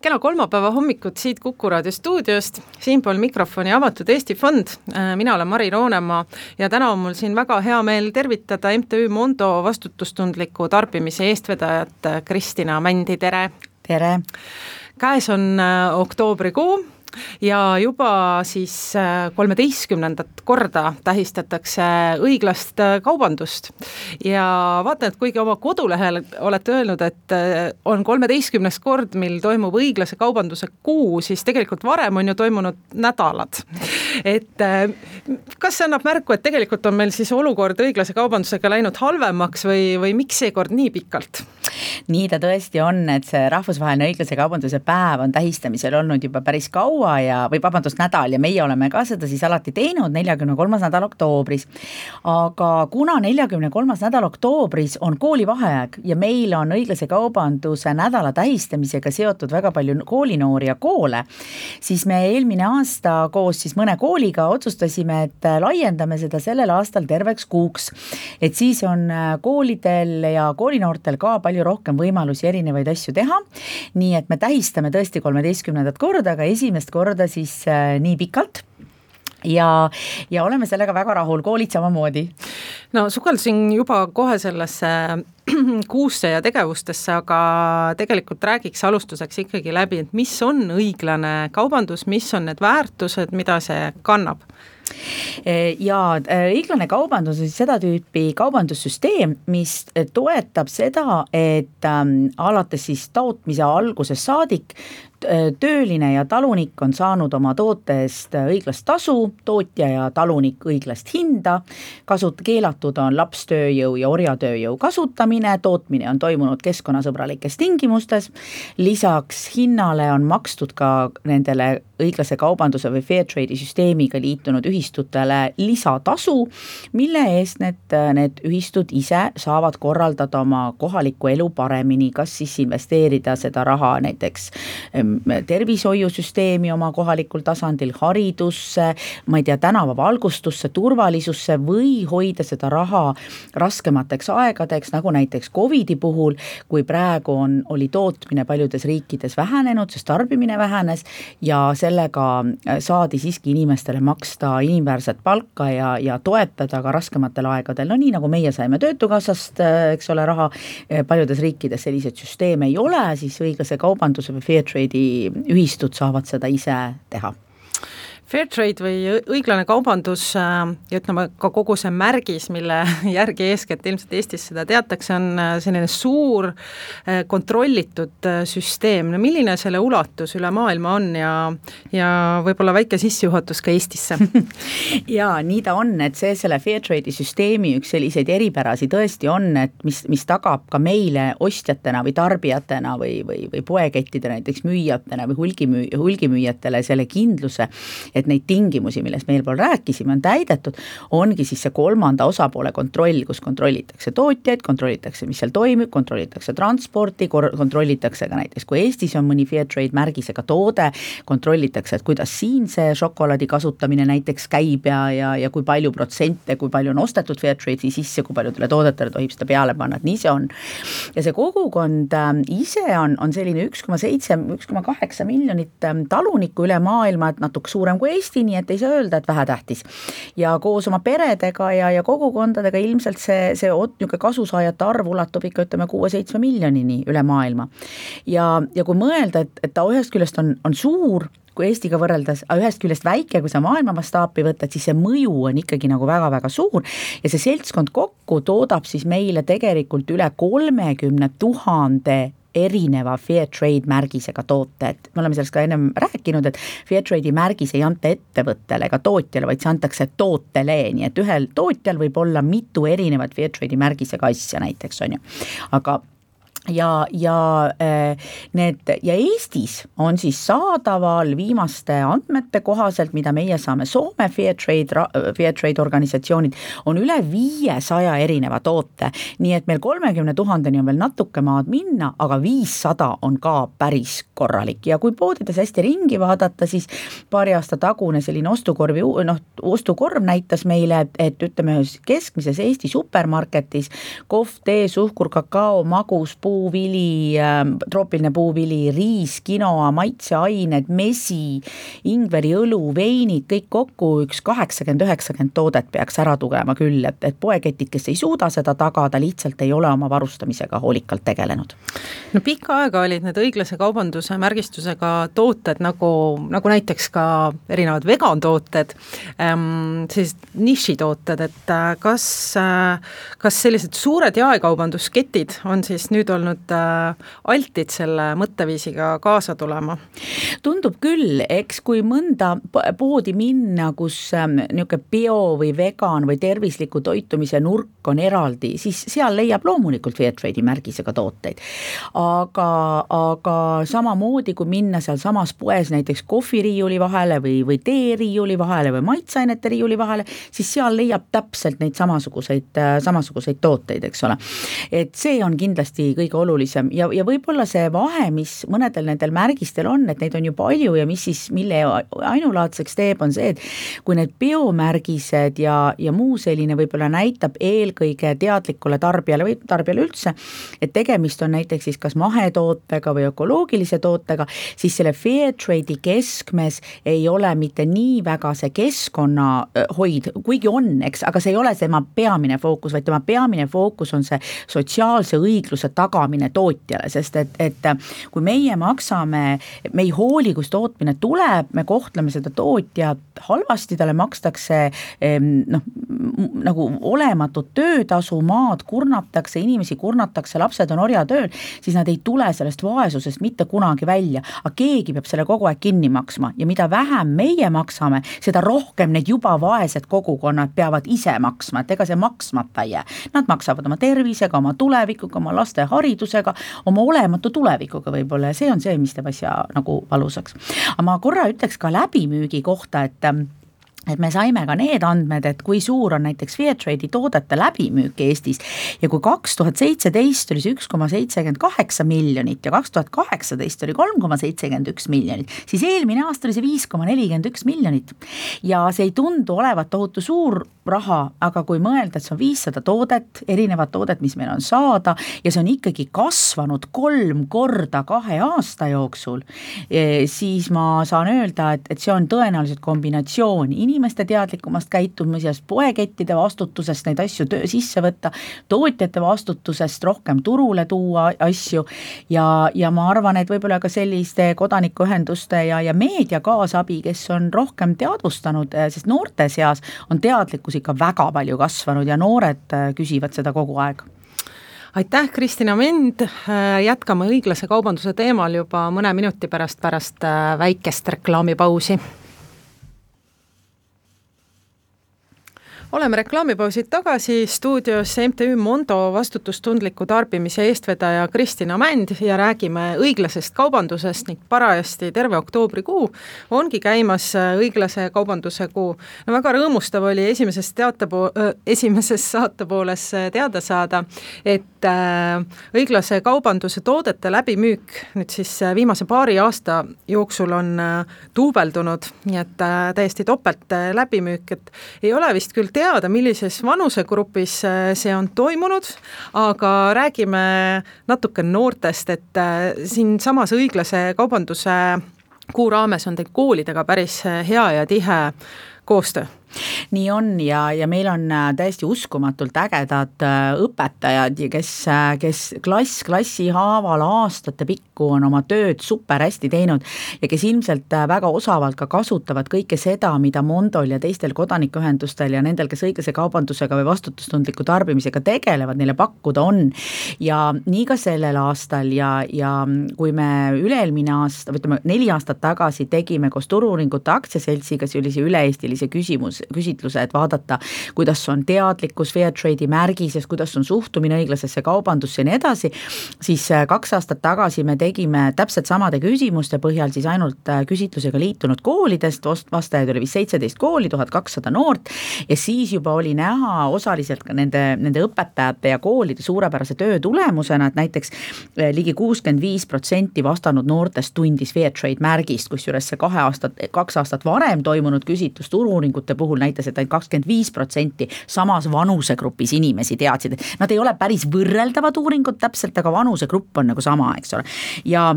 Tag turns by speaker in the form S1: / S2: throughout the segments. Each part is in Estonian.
S1: Kena kolmapäeva hommikut siit Kuku Raadio stuudiost, siinpool mikrofoni Avatud Eesti Fond. Mina olen Mari Roonemaa ja täna on mul siin väga hea meel tervitada MTÜ Mondo vastutustundliku tarbimise eestvedajat Kristina Mändi, tere!
S2: Tere!
S1: Käes on oktoobrikuu ja juba siis 13. korda tähistatakse õiglast kaubandust. Ja vaatan, et kuigi oma kodulehel olete öelnud, et on 13. kord, mil toimub õiglase kaubanduse kuu, siis tegelikult varem on ju toimunud nädalad. Et kas see annab märku, et tegelikult on meil siis olukord õiglase kaubandusega läinud halvemaks või miks seekord nii pikalt?
S2: Nii ta tõesti on, et see rahvusvaheline õiglase kaubanduse päev on tähistamisel olnud juba päris kaua nädal ja meie oleme ka seda siis alati teinud 43. nädal oktoobris. Aga kuna 43. nädal oktoobris on koolivaheaeg ja meil on õiglase kaubanduse nädala tähistamisega seotud väga palju koolinoori ja koole, siis me eelmine aasta koos siis mõne kooliga otsustasime, et laiendame seda sellel aastal terveks kuuks. Et siis on koolidel ja koolinoortel ka palju rohkem võimalusi erinevaid asju teha. Nii et me tähistame tõesti 13. korda, aga esimest korda siis nii pikalt ja oleme sellega väga rahul, koolid samamoodi.
S1: No sukeldusin juba kohe sellesse kuusse ja tegevustesse, aga tegelikult räägiks alustuseks ikkagi läbi, et mis on õiglane kaubandus, mis on need väärtused, mida see kannab?
S2: Ja õiglane kaubandus on seda tüüpi kaubandussüsteem, mis toetab seda, et alates siis tootmise alguses saadik tööline ja talunik on saanud oma toote eest õiglast tasu, tootja ja talunik õiglast hinda, keelatud on lapstööjõu ja orjatööjõu kasutamine, tootmine on toimunud keskkonnasõbralikes tingimustes, lisaks hinnale on makstud ka nendele õiglase kaubanduse või fair trade'i süsteemiga liitunud ühistutele lisatasu, mille eest need ühistud ise saavad korraldada oma kohalikku elu paremini, kas siis investeerida seda raha näiteks tervishoiusüsteemi oma kohalikul tasandil, haridusse, ma ei tea, tänavavalgustusse, turvalisusse või hoida seda raha raskemateks aegadeks, nagu näiteks COVIDi puhul, kui praegu oli tootmine paljudes riikides vähenenud, sest tarbimine vähenes ja sellega saadi siiski inimestele maksta inimväärset palka ja toetada ka raskematel aegadel. No nii nagu meie saime töötukassast, eks ole, raha, paljudes riikides sellised süsteeme ei ole, siis õiglase kaubanduse või fair trade'i ühistud saavad seda ise teha.
S1: Fair trade või õiglane kaubandus ja ütleme ka kogu see märgis, mille järgi eeskätt ilmselt Eestis seda teatakse, on selline suur kontrollitud süsteem. No milline selle ulatus üle maailma on ja võib-olla väike sissejuhatus ka Eestisse?
S2: Ja nii ta on, et selle fair trade'i süsteemi üks selliseid eripärasi tõesti on, et mis tagab ka meile ostjatena või tarbijatena või poekettide näiteks müüjatena või hulgimüüjatele selle kindluse, et neid tingimusi, millest meil pool rääkisime, on täidetud, ongi siis see kolmanda osapoole kontroll, kus kontrollitakse tootjaid, kontrollitakse, mis seal toimib, kontrollitakse transporti, kontrollitakse ka näiteks, kui Eestis on mõni fair trade märgisega toode, kontrollitakse, et kuidas siin see šokolaadi kasutamine näiteks käib ja kui palju protsente, kui palju on ostetud fair trade'i sisse, kui paljudele toodetele tohib seda peale panna, et nii see on. Ja see kogukond ise on selline 1,7–1,8 miljonit talunikku üle maailma, et natuke suurem kui Eesti, nii et ei saa öelda, et vähetähtis. Ja koos oma peredega ja kogukondadega ilmselt see kasusaajate arv ulatub ikka 6–7 miljonini üle maailma. Ja kui mõelda, et ta ühest küljest on suur, kui Eestiga võrreldes, aga ühest küljest väike, kui sa maailma mastaapi võtad, siis see mõju on ikkagi nagu väga-väga suur ja see seltskond kokku toodab siis meile tegelikult üle 30 000 erineva fair trade märgisega tooted. Me oleme sellest ka ennem rääkinud, et fair trade'i märgis ei anta ettevõttele ega tootjale, vaid see antakse tootele, nii et ühel tootjal võib olla mitu erinevat fair trade'i märgisega asja näiteks on ju. Aga ja Eestis on siis saadaval viimaste andmete kohaselt, mida meie saame Soome Fair Trade organisatsioonid, on üle 500 erineva toote, nii et meil 30 000 on veel natuke maad minna, aga 500 on ka päris korralik ja kui poodides hästi ringi vaadata, siis paari aasta tagune selline ostukorv näitas meile, et ütleme keskmises Eesti supermarketis kohv, tee, suhkur, kakao, magus, puuvili, troopiline puuvili, riis, quinoa, maitseained, mesi, ingveri õlu, veinid, kõik kokku üks 80-90 toodet peaks ära tugema küll, et poeketid, kes ei suuda seda tagada, lihtsalt ei ole oma varustamisega hoolikalt tegelenud.
S1: No pikka aega olid need õiglase kaubanduse märgistusega tooted nagu näiteks ka erinevad vegantooted, sellised nišitooted, et kas sellised suured jaekaubandusketid on siis nüüd olnud altid selle mõtteviisiga kaasa tulema?
S2: Tundub küll, eks kui mõnda poodi minna, kus niisugune bio või vegan või tervisliku toitumise nurk on eraldi, siis seal leiab loomulikult Fairtrade'i märgisega tooteid. Aga samamoodi, kui minna seal samas poes näiteks kohviriiuli vahele või teeriiuli vahele või maitseainete riiuli vahele, siis seal leiab täpselt neid samasuguseid tooteid, eks ole. Et see on kindlasti kõige olulisem ja võib-olla see vahe, mis mõnedel nendel märgistel on, et neid on ju palju ja mille ainulaadseks teeb, on see, et kui need biomärgised ja muu selline võib-olla näitab eelkõige teadlikule tarbijale või tarbijale üldse, et tegemist on näiteks siis kas mahetootega või ökoloogilise tootega, siis selle Fairtrade'i keskmes ei ole mitte nii väga see keskkonnahoid, kuigi on, eks, aga see ei ole tema peamine fookus, vaid tema peamine fookus on see sotsiaalse õigluse tagamine tootjale, sest et kui meie maksame, me ei hooli, kus tootmine tuleb, me kohtleme seda tootjat halvasti, talle makstakse nagu olematut töötasu, maad kurnatakse, inimesi kurnatakse, lapsed on orjatööl, siis nad ei tule sellest vaesusest mitte kunagi välja, aga keegi peab selle kogu aeg kinni maksma ja mida vähem meie maksame, seda rohkem need juba vaesed kogukonnad peavad ise maksma, et ega see maksmata ei jää. Nad maksavad oma tervisega, oma tulevikuga, oma laste haridusega, oma olematu tulevikuga võib-olla ja see on see, mis teeb asja nagu valusaks. Aga ma korra ütleks ka läbimüügi kohta, et me saime ka need andmed, et kui suur on näiteks Fairtrade'i toodete läbimüük Eestis ja kui 2017 oli see 1,78 miljonit ja 2018 oli 3,71 miljonit, siis eelmine aasta oli see 5,41 miljonit ja see ei tundu olevat tohutu suur raha, aga kui mõelda, et see on 500 toodet, erinevad toodet, mis meil on saada ja see on ikkagi kasvanud 3 korda 2 aasta jooksul, siis ma saan öelda, et see on tõenäoliselt kombinatsioon inimeste teadlikumast käitumisest, poekettide vastutusest neid asju sisse võtta, tootjate vastutusest rohkem turule tuua asju ja ma arvan, et võib-olla ka selliste kodanikuühenduste ja meedia kaasabi, kes on rohkem teadvustanud, sest noorte seas on teadlikkus ikka väga palju kasvanud ja noored küsivad seda kogu aeg.
S1: Aitäh, Kristina Mend, jätkame õiglase kaubanduse teemal juba mõne minuti pärast väikest reklaamipausi. Oleme reklaamipausid tagasi, stuudios MTÜ Mondo vastutustundliku tarbimise eestvedaja Kristina Mänd ja räägime õiglasest kaubandusest ning parajasti terve oktoobrikuu ongi käimas õiglase kaubanduse kuu. No väga rõõmustav oli esimeses saatepooles teada saada, et õiglase kaubanduse toodete läbimüük nüüd siis viimase paari aasta jooksul on duubeldunud, nii et täiesti topelt läbimüük, et ei ole vist küll teada, millises vanusegrupis see on toimunud, aga räägime natuke noortest, et siin samas õiglase kaubanduse kuu raames on teil koolidega päris hea ja tihe koostöö.
S2: Nii on ja meil on täiesti uskumatult ägedad õpetajad, kes klassi haaval aastate pikku on oma tööd super hästi teinud ja kes ilmselt väga osavalt ka kasutavad kõike seda, mida Mondol ja teistel kodanikuühendustel ja nendel, kes õiglase kaubandusega või vastutustundliku tarbimisega tegelevad, neile pakkuda on. Ja nii ka sellel aastal ja kui me üle-eelmine aasta, võtame 4 aastat tagasi tegime koos Turu-uuringute aktsiaseltsiga sellise üle-eestilise küsitluse, et vaadata, kuidas on teadlikkus Fairtrade'i märgises, kuidas on suhtumine õiglasesse kaubandusse ja nii edasi, siis 2 aastat tagasi me tegime täpselt samade küsimuste põhjal siis ainult küsitlusega liitunud koolidest, vastajaid oli vist 17 kooli, 1200 noort ja siis juba oli näha osaliselt ka nende õpetajate ja koolide suurepärase töö tulemusena, et näiteks ligi 65% vastanud noortest tundis Fairtrade märgist, kusjuures see 2 aastat varem toimunud küsitlus turu-uuringute puhul näitas, et ainult 25% samas vanusegrupis inimesi teadsid, et nad ei ole päris võrreldavad uuringud täpselt, aga vanusegrupp on nagu sama, eks ole. Ja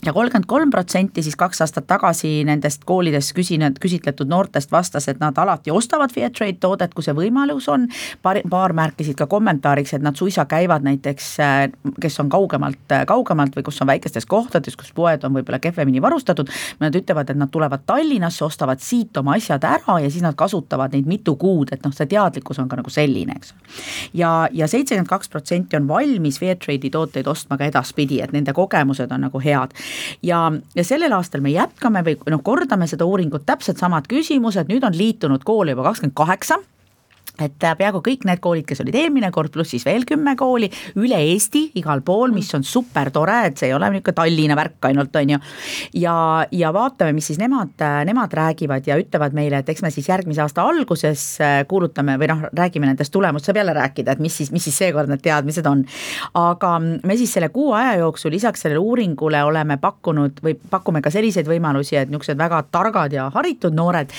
S2: 33% siis 2 aastat tagasi nendest koolides küsitletud noortest vastas, et nad alati ostavad Fairtrade toodet, kui see võimalus on. Paar märkisid ka kommentaariks, et nad suisa käivad näiteks, kes on kaugemalt või kus on väikestes kohtades, kus poed on võib-olla kehvemini varustatud. Nad ütlevad, et nad tulevad Tallinnasse, ostavad siit oma asjad ära ja siis nad kasutavad neid mitu kuud, et see teadlikkus on ka nagu selline, eks. Ja 72% on valmis Fairtrade'i tooteid ostma ka edaspidi, et nende kogemused on nagu head. Ja sellel aastal me jätkame või kordame seda uuringut, täpselt samad küsimused, nüüd on liitunud kooli juba 28, et peaaegu kõik need koolid, kes olid eelmine kord, pluss siis veel 10 kooli, üle Eesti, igal pool, mis on super tore, et see ei ole niisugune Tallinna värk ainult, on ju. Ja vaatame, mis siis nemad räägivad ja ütlevad meile, et eks me siis järgmise aasta alguses kuulutame või räägime nendest tulemust, saab jälle rääkida, et mis siis seekord need teadmised on. Aga me siis selle kuu aja jooksul lisaks sellele uuringule oleme pakume ka selliseid võimalusi, et niisugused väga targad ja haritud noored,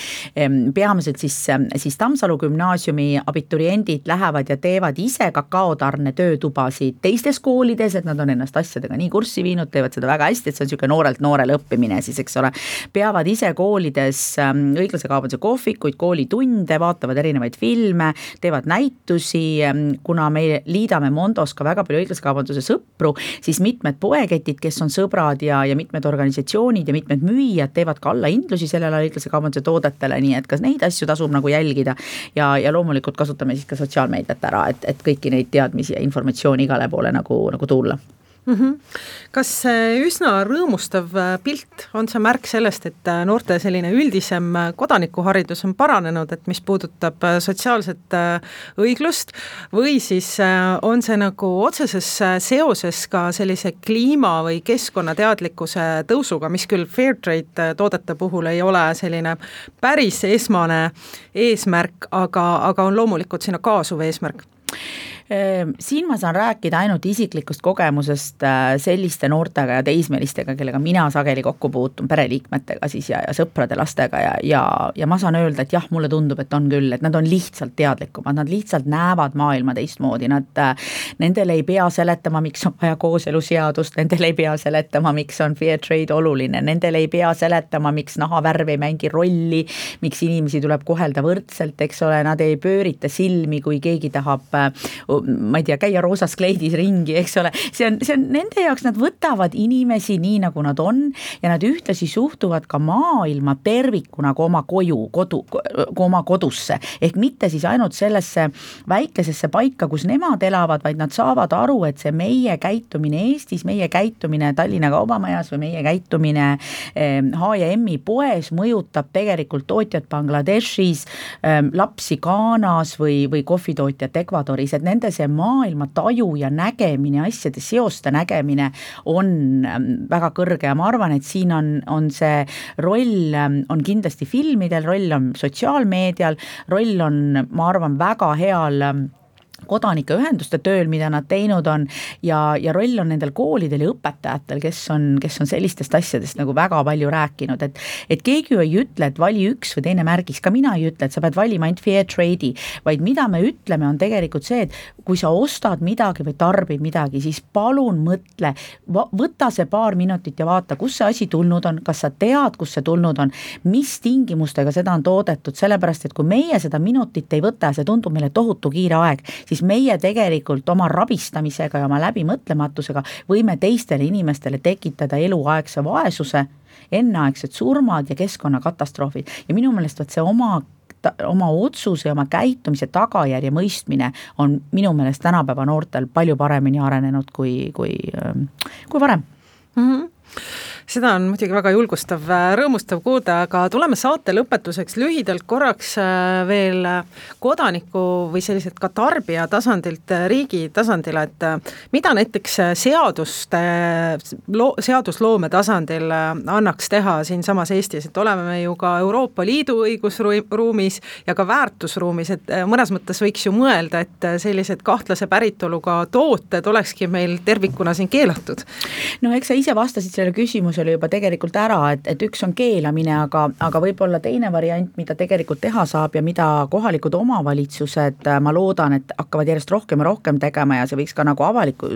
S2: peamiselt siis Tammsalu gümnaasiumi abituriendid lähevad ja teevad ise kakaotarne töötubasid teistes koolides, et nad on ennast asjadega nii kurssi viinud, teevad seda väga hästi, et see on niisugune noorelt noorele õppimine siis, eks ole. Peavad ise koolides õiglase kaubanduse kohvikuid, koolitunde, vaatavad erinevaid filme, teevad näitusi, kuna me liidame Mondos ka väga palju õiglase kaubanduse sõpru, siis mitmed poeketid, kes on sõbrad ja mitmed organisatsioonid ja mitmed müüjad teevad ka allahindlusi sellele õiglase kaubanduse toodetele, nii et kas neid asju tasub nagu jälgida ja loomulikult kasutame siis ka sotsiaalmeediat ära, et kõiki neid teadmisi ja informatsiooni igale poole nagu tulla.
S1: Kas üsna rõõmustav pilt on see märk sellest, et noorte selline üldisem kodanikuharidus on paranenud, et mis puudutab sotsiaalset õiglust või siis on see nagu otseses seoses ka sellise kliima või keskkonnateadlikkuse tõusuga, mis küll Fairtrade toodete puhul ei ole selline päris esmane eesmärk, aga on loomulikult sinna kaasuv eesmärk?
S2: Siin ma saan rääkida ainult isiklikust kogemusest selliste noortega ja teismelistega, kellega mina sageli kokku puutun, pereliikmetega siis ja sõprade lastega ja ma saan öelda, et jah, mulle tundub, et on küll, et nad on lihtsalt teadlikumad, nad lihtsalt näevad maailma teistmoodi, nendel ei pea seletama, miks on vaja kooseluseadust, nendel ei pea seletama, miks on Fairtrade oluline, nendel ei pea seletama, miks nahavärv ei mängi rolli, miks inimesi tuleb kohelda võrdselt, eks ole, nad ei pöörita silmi, kui keegi tahab ma ei tea, käia roosas kleidis ringi, eks ole, see on nende jaoks, nad võtavad inimesi nii, nagu nad on ja nad ühtlasi suhtuvad ka maailma tervikuna kui oma oma kodusse, ehk mitte siis ainult sellesse väikesesse paika, kus nemad elavad, vaid nad saavad aru, et see meie käitumine Eestis, meie käitumine Tallinna Kaubamajas või meie käitumine H&M-i poes mõjutab tegelikult tootjat Bangladeshis, lapsi Ghanas või kohvitootjat Ecuadoris, et nende see maailma taju ja nägemine, asjade seoste nägemine on väga kõrge ja ma arvan, et siin on see roll on kindlasti filmidel, roll on sotsiaalmeedial, roll on, ma arvan, väga heal kodanikeühenduste tööl, mida nad teinud on ja roll on nendel koolidel ja õpetajatel, kes on sellistest asjadest nagu väga palju rääkinud, et keegi ju ei ütle, et vali üks või teine märgis, ka mina ei ütle, et sa pead valima ainult Fairtrade'i, vaid mida me ütleme on tegelikult see, et kui sa ostad midagi või tarbid midagi, siis palun mõtle, võta see paar minutit ja vaata, kus see asi tulnud on, kas sa tead, kus see tulnud on, mis tingimustega seda on toodetud, sellepärast, et kui meie seda minutit ei võta ja see tundub meile tohutu kiire aeg, siis meie tegelikult oma rabistamisega ja oma läbimõtlematusega võime teistele inimestele tekitada eluaegse vaesuse, enneaegsed surmad ja keskkonnakatastroofid ja minu meelest see oma otsuse ja oma käitumise tagajärje mõistmine on minu meelest tänapäeva noortel palju paremini arenenud kui varem.
S1: Seda on muidugi väga julgustav, rõõmustav kuulda, aga tuleme saate lõpetuseks lühidalt korraks veel kodaniku või selliselt ka tarbija tasandilt riigi tasandile, et mida näiteks seadusloome tasandil annaks teha siinsamas Eestis, et oleme me ju ka Euroopa Liidu õigusruumis ja ka väärtusruumis, et mõnes mõttes võiks ju mõelda, et sellised kahtlase päritoluga tooted olekski meil tervikuna siin keelatud.
S2: No eks sa ise vastasid selle küsimusele küsimustele juba tegelikult ära, et üks on keelamine, aga võib-olla teine variant, mida tegelikult teha saab ja mida kohalikud omavalitsused, ma loodan, et hakkavad järjest rohkem ja rohkem tegema ja see võiks ka nagu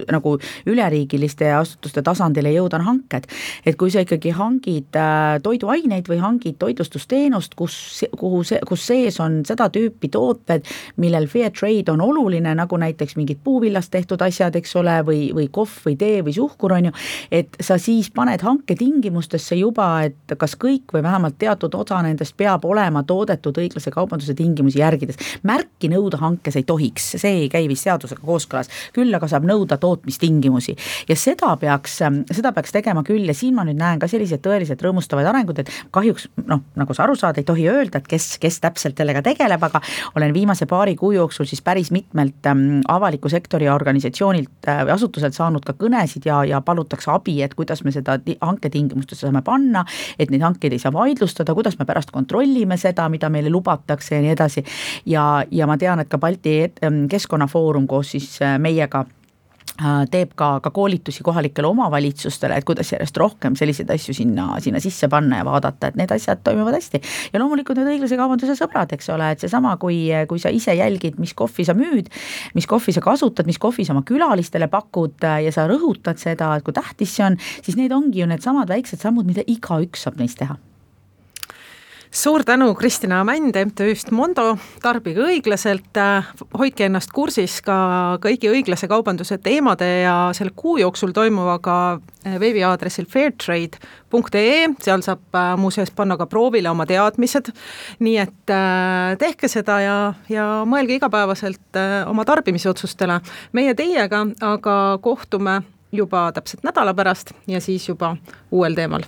S2: nagu üleriigiliste asutuste tasandile jõuda, on hanked. Et kui sa ikkagi hangid toiduaineid või hangid toitlustusteenust, kus sees on seda tüüpi tooted, millel fair trade on oluline, nagu näiteks mingid puuvillast tehtud asjad, eks ole, või kohv või tee või suhkur on ju, et sa siis paned hanke tingimustesse juba, et kas kõik või vähemalt teatud osa nendest peab olema toodetud õiglase kaubanduse tingimusi järgides. Märki nõuda hankes ei tohiks, see ei käi vist seadusega kooskõlas, küll aga saab nõuda tootmistingimusi ja seda peaks tegema küll ja siin ma nüüd näen ka sellised tõeliselt rõõmustavaid arengud, et kahjuks, nagu sa aru saad, ei tohi öelda, et kes täpselt sellega tegeleb, aga olen viimase paari kuu jooksul siis päris mitmelt avaliku sektori organisatsioonilt või asutuselt saanud ka kõnesid ja palutakse abi, et kuidas me seda hanketingimustesse saame panna, et neid hankeid ei saa vaidlustada, kuidas me pärast kontrollime seda, mida meile lubatakse ja nii edasi. Ja ma tean, et ka Balti Keskkonnafoorum koos siis meiega teeb ka koolitusi kohalikele omavalitsustele, et kuidas järjest rohkem selliseid asju sinna sisse panna ja vaadata, et need asjad toimuvad hästi. Ja loomulikult need õiglase kaubanduse sõbrad, eks ole, et seesama, kui sa ise jälgid, mis kohvi sa müüd, mis kohvi sa kasutad, mis kohvi sa oma külalistele pakud ja sa rõhutad seda, et kui tähtis see on, siis need ongi ju need samad väiksed sammud, mida igaüks saab neist teha.
S1: Suur tänu, Kristina Mänd MTÜ-st Mondo, tarbige õiglaselt, hoidke ennast kursis ka kõigi õiglase kaubanduse teemade ja selle kuu jooksul toimuvaga veebiaadressil fairtrade.ee, seal saab muuseas panna ka proovile oma teadmised, nii et tehke seda ja mõelge igapäevaselt oma tarbimisotsustele. Meie teiega aga kohtume juba täpselt nädala pärast ja siis juba uuel teemal.